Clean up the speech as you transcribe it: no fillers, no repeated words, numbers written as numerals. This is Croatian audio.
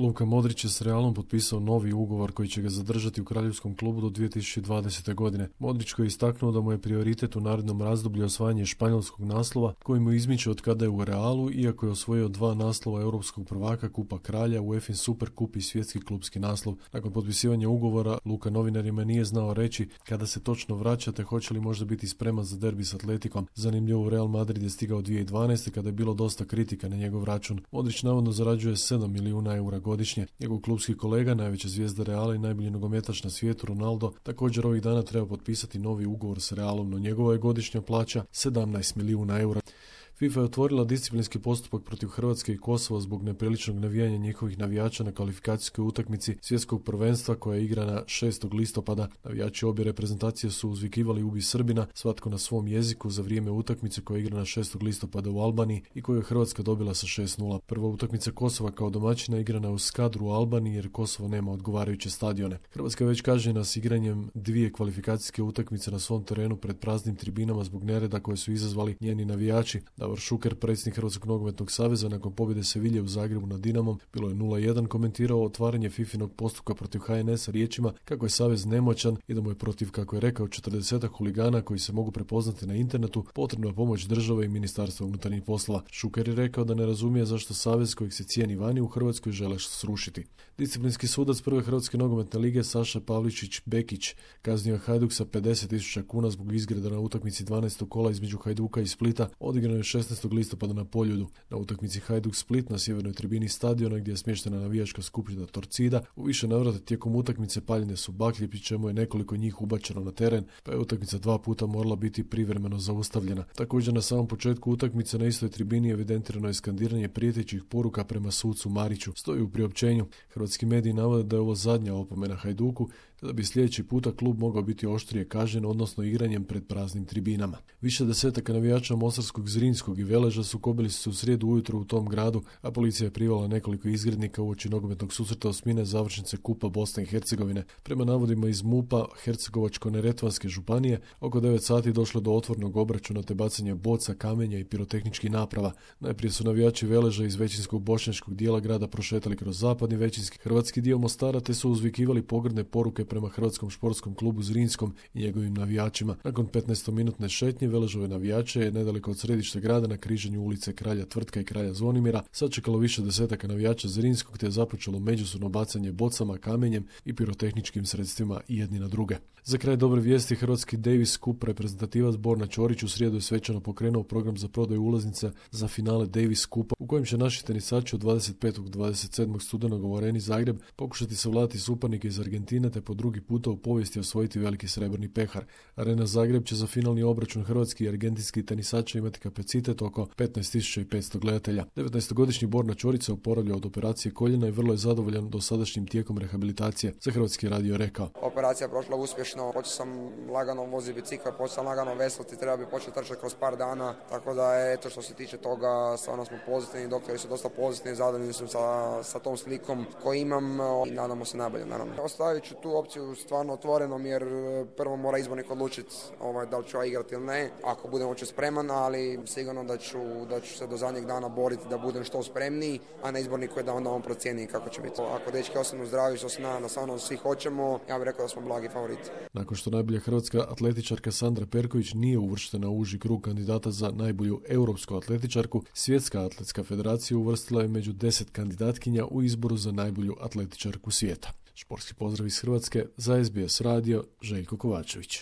Luka Modrić je s Realom potpisao novi ugovor koji će ga zadržati u kraljevskom klubu do 2020. godine. Modrić koji je istaknuo da mu je prioritet u narednom razdoblju osvajanje španjolskog naslova koji mu izmiče od kada je u Realu, iako je osvojio 2 naslova europskog prvaka, Kupa kralja, UEFA Super Kup i svjetski klubski naslov. Nakon potpisivanja ugovora, Luka novinarima nije znao reći kada se točno vraća te hoće li možda biti spreman za derbi s Atletikom. Zanimljivo, Real Madrid je stigao 2012. kada je bilo dosta kritika na njegov račun. Modrić navodno zarađuje 7 milijuna eura godišnje. Njegov klubski kolega, najveća zvijezda Reala i najbolji nogometaš na svijetu, Ronaldo, također ovih dana treba potpisati novi ugovor s Realom, no njegova je godišnja plaća 17 milijuna eura. FIFA je otvorila disciplinski postupak protiv Hrvatske i Kosova zbog nepriličnog navijanja njihovih navijača na kvalifikacijskoj utakmici svjetskog prvenstva koja je igrana 6. listopada. Navijači obje reprezentacije su uzvikivali "Ubi Srbina", svatko na svom jeziku, za vrijeme utakmice koja je igrana 6. listopada u Albaniji i koju je Hrvatska dobila sa 6:0. Prva utakmica Kosova kao domaćina igrana u Skadru u Albaniji jer Kosovo nema odgovarajuće stadione. Hrvatska je već kažnjena s igranjem 2 kvalifikacijske utakmice na svom terenu pred praznim tribinama zbog nereda koje su izazvali njeni navijači. Davor Šuker, predsjednik Hrvatskog nogometnog saveza, nakon pobjede Sevilje u Zagrebu nad Dinamom, bilo je 0:1, komentirao otvaranje FIFA-inog postupka protiv HNS-a riječima kako je savez nemoćan i da mu je protiv, kako je rekao, 40 huligana koji se mogu prepoznati na internetu potrebna pomoć države i Ministarstva unutarnjih poslova. Šuker je rekao da ne razumije zašto savez kojeg se cijeni vani u Hrvatskoj žele srušiti. Disciplinski sudac prve Hrvatske nogometne lige Saša Pavličić-Bekić kaznio Hajduk sa 50.000 kuna zbog izgreda na utakmici 12. kola između Hajduka i Splita, odigrano je 16. listopada na Poljudu. Na utakmici Hajduk Split na sjevernoj tribini stadiona gdje je smještena navijačka skupina Torcida, u više navrata tijekom utakmice paljene su baklje, pri čemu je nekoliko njih ubačeno na teren, pa je utakmica 2 puta morala biti privremeno zaustavljena. Također na samom početku utakmice na istoj tribini evidentirano je skandiranje prijetećih poruka prema sucu Mariću. Stoji u priopćenju. Hrvatski mediji navode da je ovo zadnja opomena Hajduku, te da bi sljedeći puta klub mogao biti oštrije kažnjen, odnosno igranjem pred praznim tribinama. Više desetaka navijača Mostarskog, Zrinskog i Veleža sukobili su se u srijedu ujutro u tom gradu, a policija je privala nekoliko izgrednika uoči nogometnog susreta osmine završnice Kupa Bosne i Hercegovine. Prema navodima iz MUP-a Hercegovačko-neretvanske županije, oko 9 sati došlo do otvornog obračuna te bacanja boca, kamenja i pirotehničkih naprava. Najprije su navijači Veleža iz većinskog bošnjačkog dijela grada prošetali kroz zapadni većinski hrvatski dio Mostara te su uzvikivali pogrdne poruke prema Hrvatskom športskom klubu Zrinskom i njegovim navijačima. Nakon 15-minutne šetnje Veležove navijače je nedaleko od središta grada na križanju ulice Kralja Tvrtka i Kralja Zvonimira sačekalo više desetaka navijača Zrinskog te je započelo međusobno bacanje bocama, kamenjem i pirotehničkim sredstvima jedni na druge. Za kraj dobre vijesti, hrvatski Davis Cup reprezentativac Borna Ćorić u srijedu je svečano pokrenuo program za prodaju ulaznica za finale Davis Cupa u kojem će naši tenisači od 25. do 27. studenog u Areni Zagreb pokušati savladati suparnike iz Argentine te po drugi puta u povijesti osvojiti veliki srebrni pehar. Arena Zagreb će za finalni obračun hrvatski i argentinski tenisača imati kapacitet oko 15.500 gledatelja. 19-godišnji Borna Ćorić se oporavlja od operacije koljena i vrlo je zadovoljan dosadašnjim tijekom rehabilitacije. Za Hrvatski radio rekao: Operacija prošla uspješno, počeo sam lagano voziti bicikl, počeo sam lagano veslati, treba bi početi trčati kroz par dana, tako da je, eto, što se tiče toga, stvarno smo pozitivni, doktori su dosta pozitivni, zadovoljni su sa tom slikom koju imam i nadamo se najbolje, naravno. Ostavit ću tu opciju stvarno otvorenom jer prvo mora izbornik odlučiti da li ću ja igrati ili ne, ako budem uopće spreman, ali sigurno da ću se do zadnjeg dana boriti da budem što spremniji, a na izborniku je da onda on procijeni kako će biti. Ako dečki ostanu zdravi, što se na stvarno svi hoćemo, ja bih rekao da smo blagi favoriti. Nakon što najbolja hrvatska atletičarka Sandra Perković nije uvrštena u uži krug kandidata za najbolju europsku atletičarku, Svjetska atletska federacija uvrstila je među 10 kandidatkinja u izboru za najbolju atletičarku svijeta. Športski pozdrav iz Hrvatske, za SBS radio, Željko Kovačević.